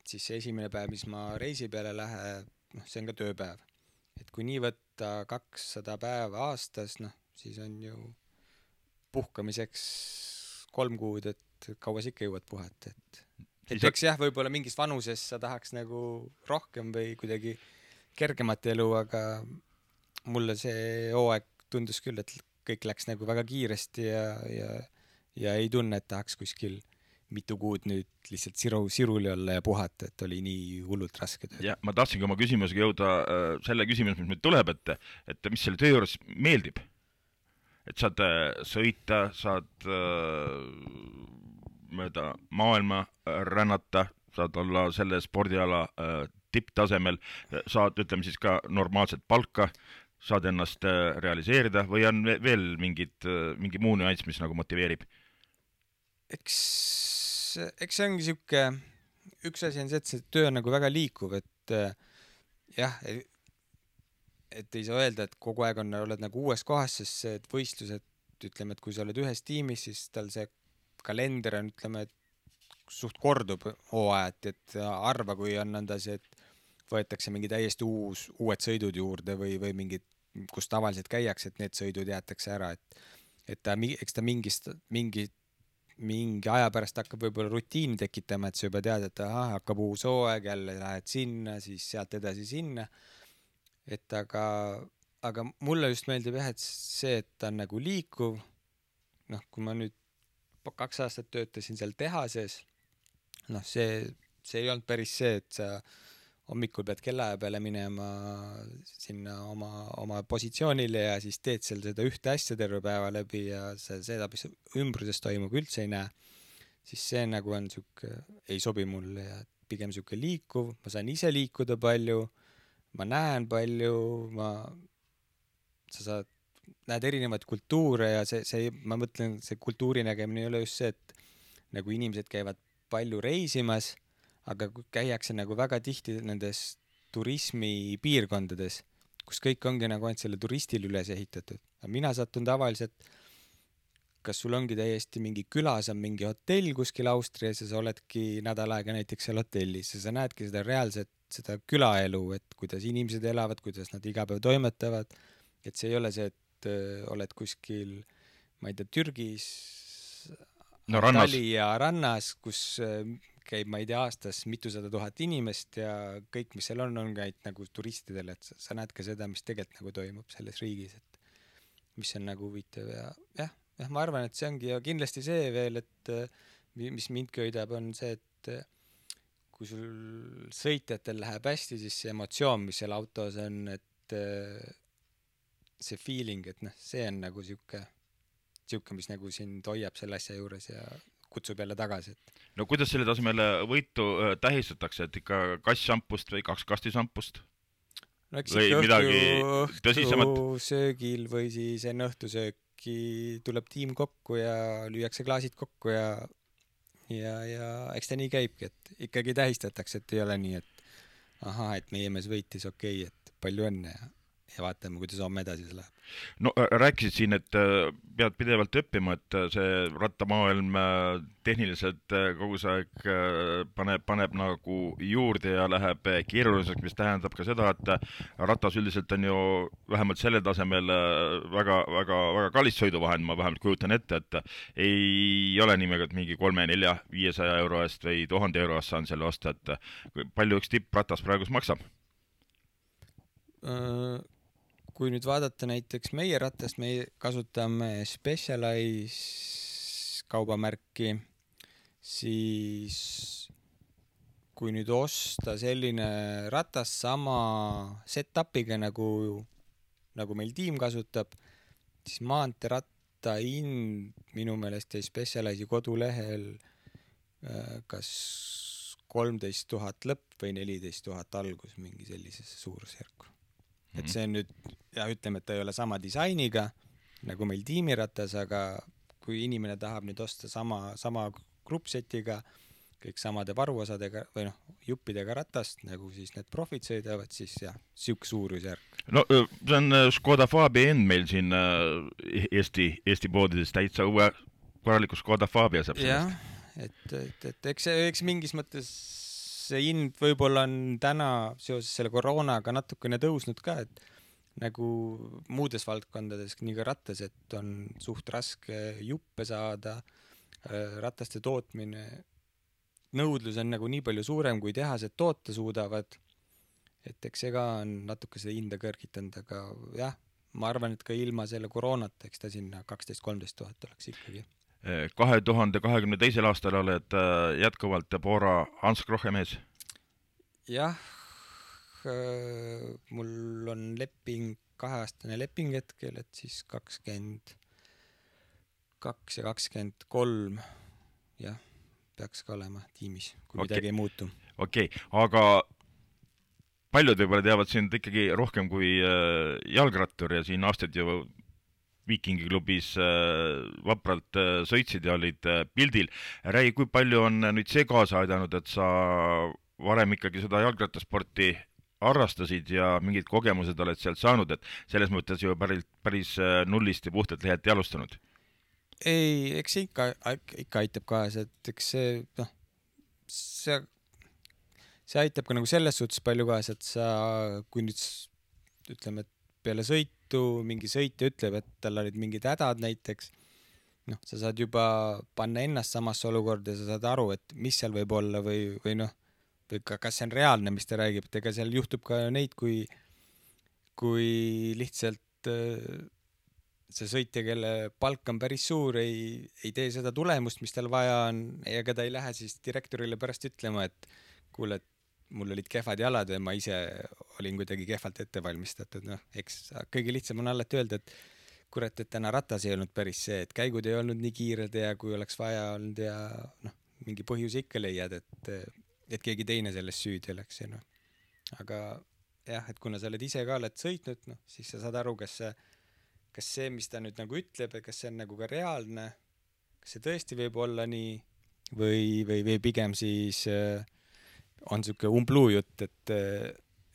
siis see esimene päev, mis ma reisi peale lähe, noh, see on ka tööpäev. Et kui nii võtta kakssada päeva aastas, noh, siis on ju puhkamiseks kolm kuud, et et kaua sa ikka jõuad puhata, et et Siis- eks jah, võib-olla mingis vanuses sa tahaks nagu rohkem või kuidagi kergemat elu, aga mulle see hooaeg tundus küll, et kõik läks nagu väga kiiresti ja, ja, ja ei tunne, et tahaks kuskil mitu kuud nüüd lihtsalt siru, siruli olla ja puhata, et oli nii hullult raske töö. ja ma tahtsingi oma küsimusega jõuda äh, selle küsimus, mis nüüd tuleb, et, et mis selle töö juures meeldib. Et saad äh, sõita, saad äh, mööda maailma äh, rännata, saad olla selle spordiala äh, tipptasemel, saad, ütleme siis ka normaalset palka, saad ennast äh, realiseerida või on ve- veel mingid, äh, mingi muu nüanss, mis nagu motiveerib? Eks, eks see ongi siuke, üks asi on see, et see töö on nagu väga liikuv, et äh, jah, et ei saa öelda, et kogu aeg on, oled nagu uues kohas, sest see, et võistlused, ütleme, et kui sa oled ühes tiimis, siis tal see kalender on, ütleme, et suht kordub hooajat, et arva, kui on nõnda see, et võetakse mingi täiesti uus, uued sõidud juurde või, või mingid, kus tavaliselt käiakse, et need sõidud jäetakse ära, et et ta, eks ta mingist, mingi mingi aja pärast hakkab võib-olla rutiini tekitama, et sa juba tead, et aha, hakkab uus hooaeg, jälle lähed sinna, siis sealt edasi sinna. Et aga, aga mulle just meeldib jah, et see, et ta on nagu liikuv. Noh, kui ma nüüd kaks aastat töötasin seal tehases, noh, see, see ei olnud päris see, et sa hommikul pead kellaaja peale minema sinna oma, oma positsioonile ja siis teed seal seda ühte asja terve päeva läbi ja sa seda, mis ümbruses toimub, üldse ei näe. Siis see nagu on siuke, ei sobi mulle ja pigem siuke liikuv, ma saan ise liikuda palju, ma näen palju, ma, sa saad, näed erinevaid kultuure ja see, see, ma mõtlen, see kultuuri nägemine ei ole just see, et nagu inimesed käivad palju reisimas, aga käiakse nagu väga tihti nendes turismipiirkondades, kus kõik ongi nagu ainult selle turistil üles ehitatud. Mina satun tavaliselt, kas sul ongi täiesti mingi külas on mingi hotell kuskil Austrias ja sa oledki nädal aega näiteks seal hotellis ja sa näedki seda reaalset, seda külaelu, et kuidas inimesed elavad, kuidas nad iga päev toimetavad, et see ei ole see, et äh, oled kuskil, ma ei tea, Türgis no rannas. ja rannas, kus äh, käib, ma ei tea, aastas mitusada tuhat inimest ja kõik, mis seal on, on käid nagu turistidele, et sa, sa näed ka seda, mis tegelikult nagu toimub selles riigis, et mis on nagu huvitav ja jah, jah, ma arvan, et see ongi ja kindlasti see veel, et mis mind köidab, on see, et kui sul sõitjatel läheb hästi, siis see emotsioon, mis seal autos on, et see feeling, et noh, see on nagu siuke, siuke, mis nagu sind hoiab selle asja juures ja kutsub jälle tagasi. No kuidas selle tasemel võitu tähistatakse, et ikka kass šampust või kaks kasti šampust? No eks või ikka midagi õhtu, tõsisemat? õhtu söögil või siis enne õhtusööki tuleb tiim kokku ja lüüakse klaasid kokku ja, ja, ja eks ta nii käibki, et ikkagi tähistatakse, et ei ole nii, et aha, et meie mees võitis, okei, et palju õnne ja, ja vaatame, kuidas homme edasi see läheb. No rääkisid siin, et pead pidevalt õppima, et see rattamaailm tehniliselt kogu see aeg paneb, paneb nagu juurde ja läheb keeruliseks, mis tähendab ka seda, et ratas üldiselt on ju vähemalt selle tasemel väga, väga, väga kallis sõiduvahend, ma vähemalt kujutan ette, et ei ole niimoodi, et mingi kolme, nelja, viiesaja euro eest või tuhande euro eest saan selle osta, et palju üks tippratas praegus maksab? Kui nüüd vaadata näiteks meie ratast, me kasutame Specialized kaubamärki, siis kui nüüd osta selline ratas sama set-upiga nagu, nagu meil tiim kasutab, siis maanteeratta hind minu meelest jäi Specializedi kodulehel kas kolmteist tuhat lõpp või neliteist tuhat algus, mingi sellisesse suurusjärku. Et see on nüüd, ja ütleme, et ta ei ole sama disainiga nagu meil tiimiratas, aga kui inimene tahab nüüd osta sama, sama gruppsetiga, kõik samade varuosadega või noh, juppidega ratast, nagu siis need profid sõidavad, siis jah, siuk suurusjärk. No see on Škoda Fabia end meil siin Eesti, Eesti poodides täitsa uue korraliku Škoda Fabia saab sellest. Jah, et, et, et eks, eks mingis mõttes see hind võib-olla on täna seoses selle koroonaga natukene tõusnud ka, et nagu muudes valdkondades, nii ka rattas, et on suht raske juppe saada, rataste tootmine, nõudlus on nagu nii palju suurem, kui tehased toota suudavad, et eks see ka on natuke seda hinda kõrgitanud, aga jah, ma arvan, et ka ilma selle koroonata, eks ta sinna kaksteist kolmteist tuhat oleks ikkagi. kahe tuhande kahekümne teisel aastal oled jätkuvalt Bora Hans Krohe mees? Jah, mul on leping, kaheaastane leping hetkel, et siis kakskümmend kaks ja kakskümmend kolm, jah, peaks ka olema tiimis, kui okay. midagi ei muutu. Okei, okay. Aga paljud võib-olla teavad sind ikkagi rohkem kui jalgrattur ja siin aastad ju Viikingi klubis vapralt sõitsid ja olid pildil. Räägi, kui palju on nüüd see kaasa aidanud, et sa varem ikkagi seda jalgrattasporti harrastasid ja mingid kogemused oled sealt saanud, et selles mõttes ju päris, päris nullist ja puhtalt lehelt ei alustanud? Ei, eks see ikka, ikka aitab kaasa, et eks see, noh, see, see aitab ka nagu selles suhtes palju kaasa, et sa, kui nüüd ütleme, et peale sõitu mingi sõitja ütleb, et tal olid mingid hädad näiteks, noh, sa saad juba panna ennast samasse olukorda ja sa saad aru, et mis seal võib olla või, või noh, või ka, kas see on reaalne, mis ta räägib, et ega seal juhtub ka neid, kui, kui lihtsalt see sõitja, kelle palk on päris suur, ei, ei tee seda tulemust, mis tal vaja on, ega ta ei lähe siis direktorile pärast ütlema, et kuule, et mul olid kehvad jalad ja ma ise olin kuidagi kehvalt ette valmistatud. Noh, eks kõige lihtsam on alati öelda, et kurat, et täna ratas ei olnud päris see, et käigud ei olnud nii kiired ja kui oleks vaja olnud ja noh, mingi põhjus ikka leiad, et, et keegi teine sellest süüdi oleks. Ja noh. Aga jah, et kuna sa oled ise ka oled sõitnud, noh, siis sa saad aru, kas see, kas see, mis ta nüüd nagu ütleb, kas see on nagu ka reaalne, kas see tõesti võib olla nii või, või, või pigem siis äh, on siuke umbluu jutt, et,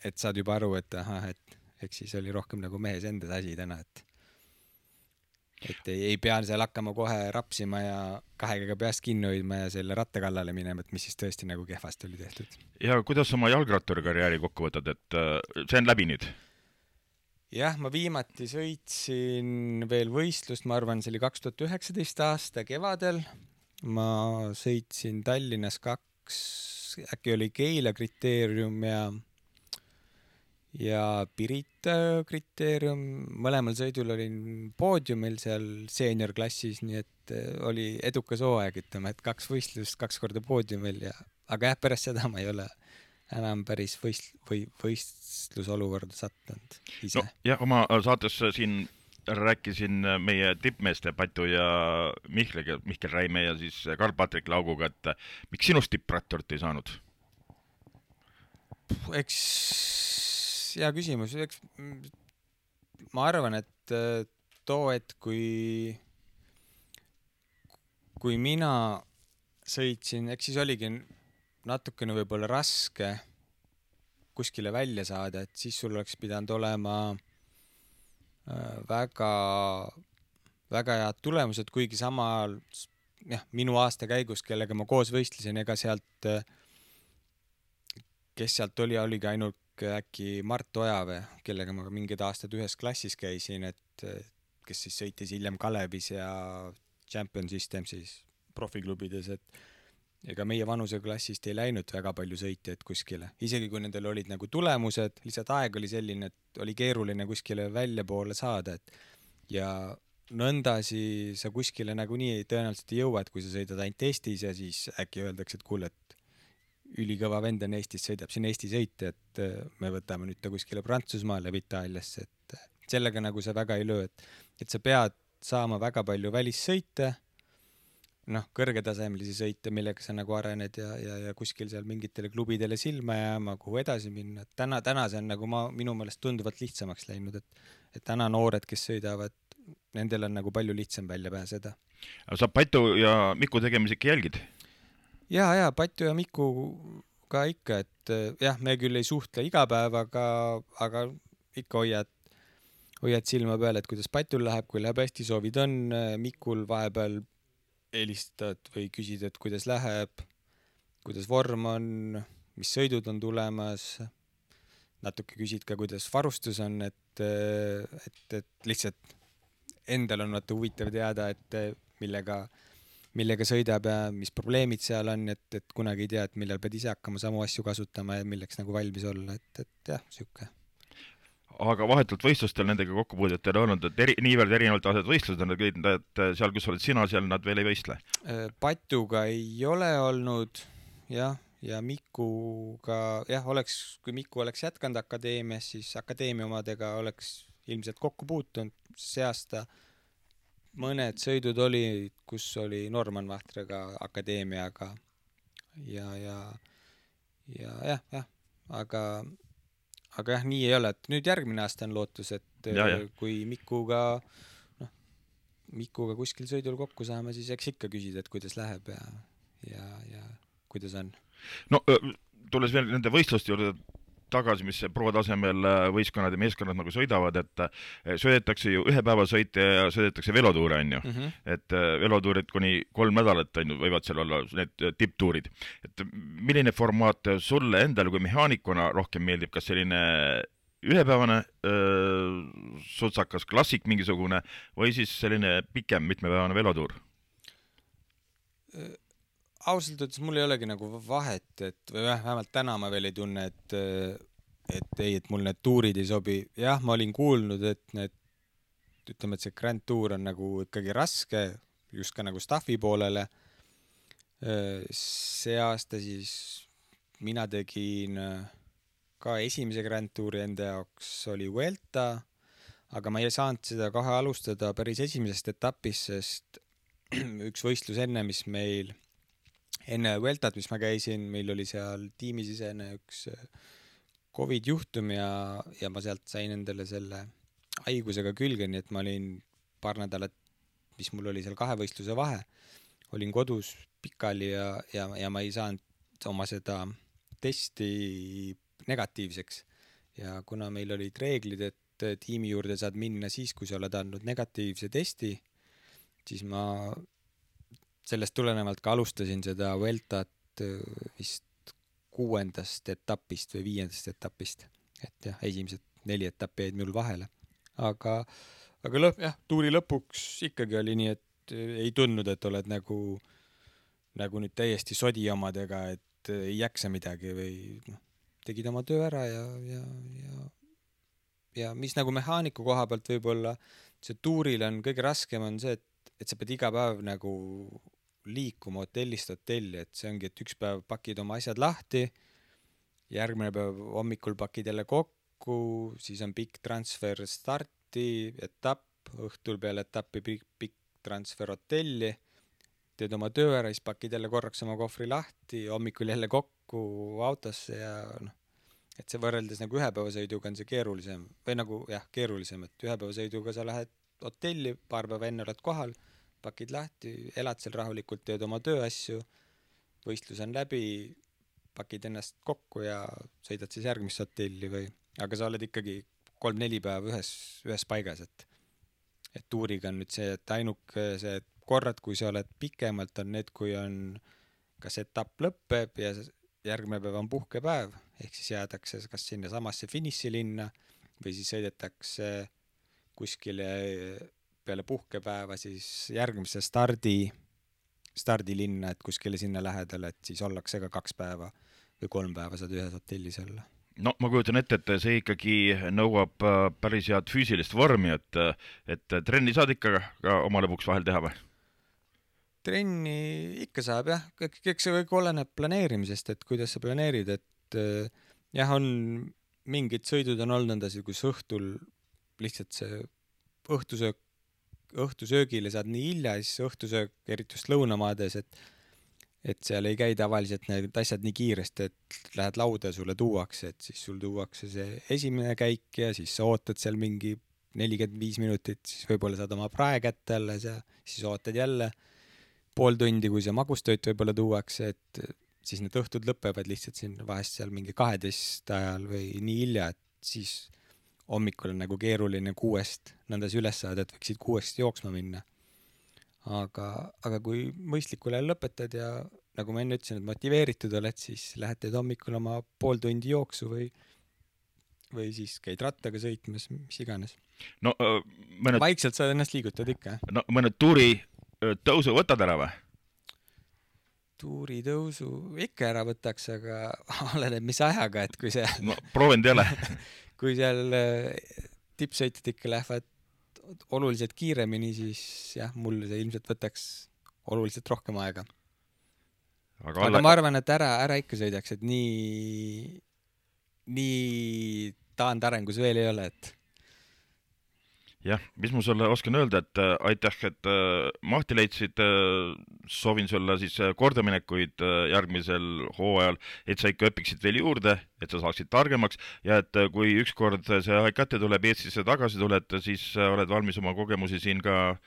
et saad juba aru, et ahah, et eks siis oli rohkem nagu mehes endas asi täna, et et ei, ei pea seal hakkama kohe rapsima ja kahega peast kinni hoidma ja selle ratta kallale minema, et mis siis tõesti nagu kehvasti oli tehtud. Ja kuidas oma jalgratturi karjääri kokku võtad, et see on läbi nüüd? Jah, ma viimati sõitsin veel võistlust, ma arvan, see oli kaks tuhat üheksateist aasta kevadel. Ma sõitsin Tallinnas kaks, äkki oli Keila kriteerium ja ja Pirita kriteerium. Mõlemal sõidul olin poodiumil seal seeniorklassis, nii et oli edukas hooaeg, ütleme, et kaks võistlust, kaks korda poodiumil ja aga jah, pärast seda ma ei ole enam päris võist, või võistlusolukorda sattunud ise. No, jah, oma saates siin rääkisin meie tippmeeste Patu ja Mihkel, Mihkel Räime ja siis Karl-Patrik Lauguga, et miks sinust tippratturit ei saanud? Eks hea küsimus, eks ma arvan, et too, et kui kui mina sõitsin, eks siis oligi natukene võib-olla raske kuskile välja saada, et siis sul oleks pidanud olema väga väga head tulemused, kuigi samal jah, minu aasta käigus, kellega ma koos võistlesin, ega sealt kes sealt oli, oligi ainult äkki Mart Ojave, kellega ma mingid aastad ühes klassis käisin, et kes siis sõitis hiljem Kalevis ja Champion System siis profiklubides, et ega meie vanuseklassist ei läinud väga palju sõitjaid kuskile. Isegi kui nendel olid nagu tulemused, lihtsalt aeg oli selline, et oli keeruline kuskile välja poole saada, et ja nõndasi sa kuskile nagu nii tõenäoliselt ei jõua, et kui sa sõidad ainult Eestis ja siis äkki öeldakse, et kuule, et ülikõva vend on Eestis, sõidab siin Eesti sõite, et me võtame nüüd ta kuskile Prantsusmaale või Itaaliasse, et sellega nagu sa väga ei löö, et, et sa pead saama väga palju välissõite, noh, kõrgetasemelisi sõite, millega sa nagu arened ja, ja, ja kuskil seal mingitele klubidele silma jääma, kuhu edasi minna. Täna, täna see on nagu ma, minu meelest tunduvalt lihtsamaks läinud, et, et täna noored, kes sõidavad, nendel on nagu palju lihtsam välja pääseda. Sa Patu ja Miku tegemisi ikka jälgid? Ja, ja Patu ja Miku ka ikka, et jah, me küll ei suhtle iga päev, aga, aga ikka hoiad, hoiad silma peal, et kuidas Patul läheb, kui läheb hästi, soovid on, Mikul vahepeal helistad või küsid, et kuidas läheb, kuidas vorm on, mis sõidud on tulemas, natuke küsid ka, kuidas varustus on, et, et, et lihtsalt endal on vaata huvitav teada, et millega millega sõidab ja mis probleemid seal on, et, et kunagi ei tea, et millal pead ise hakkama samu asju kasutama ja milleks nagu valmis olla, et, et jah, sihuke. Aga vahetult võistlustel nendega kokkupuudet ei ole olnud, et eri, niivõrd erinevalt asjad võistlused on, et seal, kus oled sina, seal nad veel ei võistle? Patuga ei ole olnud, jah, ja Mikuga, jah, oleks, kui Miku oleks jätkanud akadeemias, siis akadeemia omadega oleks ilmselt kokku puutunud. See aasta mõned sõidud oli, kus oli Norman Vahtraga akadeemiaga ja, ja, ja jah, jah, aga aga jah, nii ei ole, et nüüd järgmine aasta on lootus, et ja, ja. kui Mikuga, noh, Mikuga kuskil sõidul kokku saame, siis eks ikka küsida, et kuidas läheb ja, ja, ja kuidas on. No tulles veel nende võistluste juurde tagasi, mis pro tasemel võistkonnad ja meeskonnad nagu sõidavad, et sõidetakse ju ühe päeva sõite ja sõidetakse velotuure, on ju. Mm -hmm. Et velotuurid kuni kolm nädalat on ju, võivad seal olla need tipptuurid. Et milline formaat sulle endale kui mehaanikuna rohkem meeldib, kas selline ühepäevane öö, sutsakas klassik mingisugune või siis selline pikem mitmepäevane velotuur? Ausalt öeldes mul ei olegi nagu vahet, et või vähemalt täna ma veel ei tunne, et, et ei, et mul need tuurid ei sobi. Jah, ma olin kuulnud, et need, ütleme, et see Grand Tour on nagu ikkagi raske, just ka nagu staffi poolele. See aasta siis mina tegin ka esimese Grand Touri enda jaoks oli Vuelta, aga ma ei saanud seda kohe alustada päris esimesest etapist, sest üks võistlus enne, mis meil enne Vueltat, mis ma käisin, meil oli seal tiimisisene üks Covid juhtum ja, ja ma sealt sain endale selle haigusega külge, nii et ma olin paar nädalat, mis mul oli seal kahe võistluse vahe, olin kodus pikali ja, ja, ja ma ei saanud oma seda testi negatiivseks. Ja kuna meil olid reeglid, et tiimi juurde saad minna siis, kui sa oled andnud negatiivse testi, siis ma sellest tulenevalt ka alustasin seda Vueltat vist kuuendast etapist või viiendast etapist. Et jah, esimesed neli etappi jäid mul vahele. Aga, aga lõpp, jah, tuuri lõpuks ikkagi oli nii, et ei tundnud, et oled nagu, nagu nüüd täiesti sodi omadega, et ei jaksa midagi või noh, tegid oma töö ära ja, ja, ja, ja mis nagu mehaaniku koha pealt võib-olla see tuuril on kõige raskem on see, et et sa pead iga päev nagu liikuma hotellist hotelli, et see ongi, et üks päev pakid oma asjad lahti, järgmine päev hommikul pakid jälle kokku, siis on pikk transfer starti, etapp, õhtul peale etappi pikk, pikk transfer hotelli, teed oma töö ära, siis pakid jälle korraks oma kohvri lahti, hommikul jälle kokku autosse ja noh, et see võrreldes nagu ühepäevasõiduga on see keerulisem, või nagu jah, keerulisem, et ühepäevasõiduga sa lähed hotelli, paar päeva enne oled kohal, pakid lahti, elad seal rahulikult, teed oma tööasju, võistlus on läbi, pakid ennast kokku ja sõidad siis järgmist hotelli või, aga sa oled ikkagi kolm-neli päeva ühes, ühes paigas, et, et tuuriga on nüüd see, et ainuke see korrad, kui sa oled pikemalt, on need, kui on kas etapp lõppeb ja järgmine päev on puhkepäev, ehk siis jäädakse kas sinna samasse finišilinna või siis sõidetakse kuskile peale puhkepäeva siis järgmise stardi, stardilinna, et kuskile sinna lähedale, et siis ollakse ka kaks päeva või kolm päeva saad ühes hotellis olla. No ma kujutan ette, et see ikkagi nõuab päris head füüsilist vormi, et, et trenni saad ikka ka oma lõpuks vahel teha või? Trenni ikka saab jah, eks see kõik oleneb planeerimisest, et kuidas sa planeerid, et jah, on mingid sõidud on olnud nõnda, kus õhtul lihtsalt see õhtusöök õhtusöögile saad nii hilja, siis õhtusöök, eriti just lõunamaades, et, et seal ei käi tavaliselt need asjad nii kiiresti, et lähed lauda ja sulle tuuakse, et siis sul tuuakse see esimene käik ja siis sa ootad seal mingi nelikümmend viis minutit, siis võib-olla saad oma prae kätte alles ja siis ootad jälle pool tundi, kui see magustööt võib-olla tuuakse, et siis need õhtud lõpevad lihtsalt siin vahest seal mingi kaheteist ajal või nii hilja, et siis hommikul on nagu keeruline kuuest nõndas üles saada, et võiksid kuuest jooksma minna. Aga, aga kui mõistlikul ajal lõpetad ja nagu ma enne ütlesin, et motiveeritud oled, siis lähed teed hommikul oma pool tundi jooksu või, või siis käid rattaga sõitmas, mis iganes. No, mõned... Vaikselt sa ennast liigutad ikka. No mõned tuuri tõusu võtad ära või? tuuritõusu ikka ära võtaks, aga oleneb mis ajaga, et kui see no proovinud ei ole. kui seal tippsõitjad ikka lähevad oluliselt kiiremini, siis jah, mul see ilmselt võtaks oluliselt rohkem aega. Aga, aga alla... ma arvan, et ära, ära ikka sõidaks, et nii, nii taandarengus veel ei ole, et jah, mis ma sulle oskan öelda, et äh, aitäh, et äh, mahti leidsid, äh, soovin sulle siis kordaminekuid äh, järgmisel hooajal, et sa ikka õpiksid veel juurde, et sa saaksid targemaks ja et äh, kui ükskord see aeg kätte tuleb, Eestisse tagasi tuled, siis äh, oled valmis oma kogemusi siin ka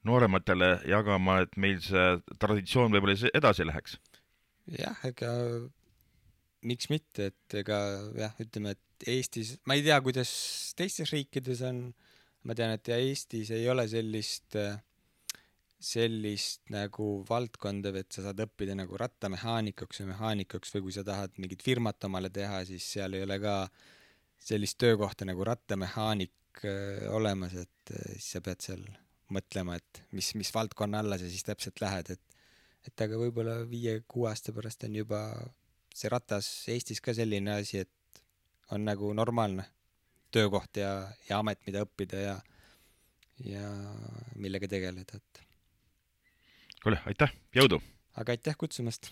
noorematele jagama, et meil see traditsioon võib-olla edasi läheks. jah, ega miks mitte, et ega jah, ütleme, et Eestis, ma ei tea, kuidas teistes riikides on, ma tean, et ja Eestis ei ole sellist, sellist nagu valdkonda, et sa saad õppida nagu rattamehaanikaks või mehaanikaks või kui sa tahad mingit firmat omale teha, siis seal ei ole ka sellist töökohta nagu rattamehaanik olemas, et siis sa pead seal mõtlema, et mis, mis valdkonna alla sa siis täpselt lähed, et, et aga võib-olla viie-kuue aasta pärast on juba see ratas Eestis ka selline asi, et on nagu normaalne töökoht ja, ja amet, mida õppida ja, ja millega tegeleda. Et... kuule, aitäh, jõudu! Aga aitäh kutsumast!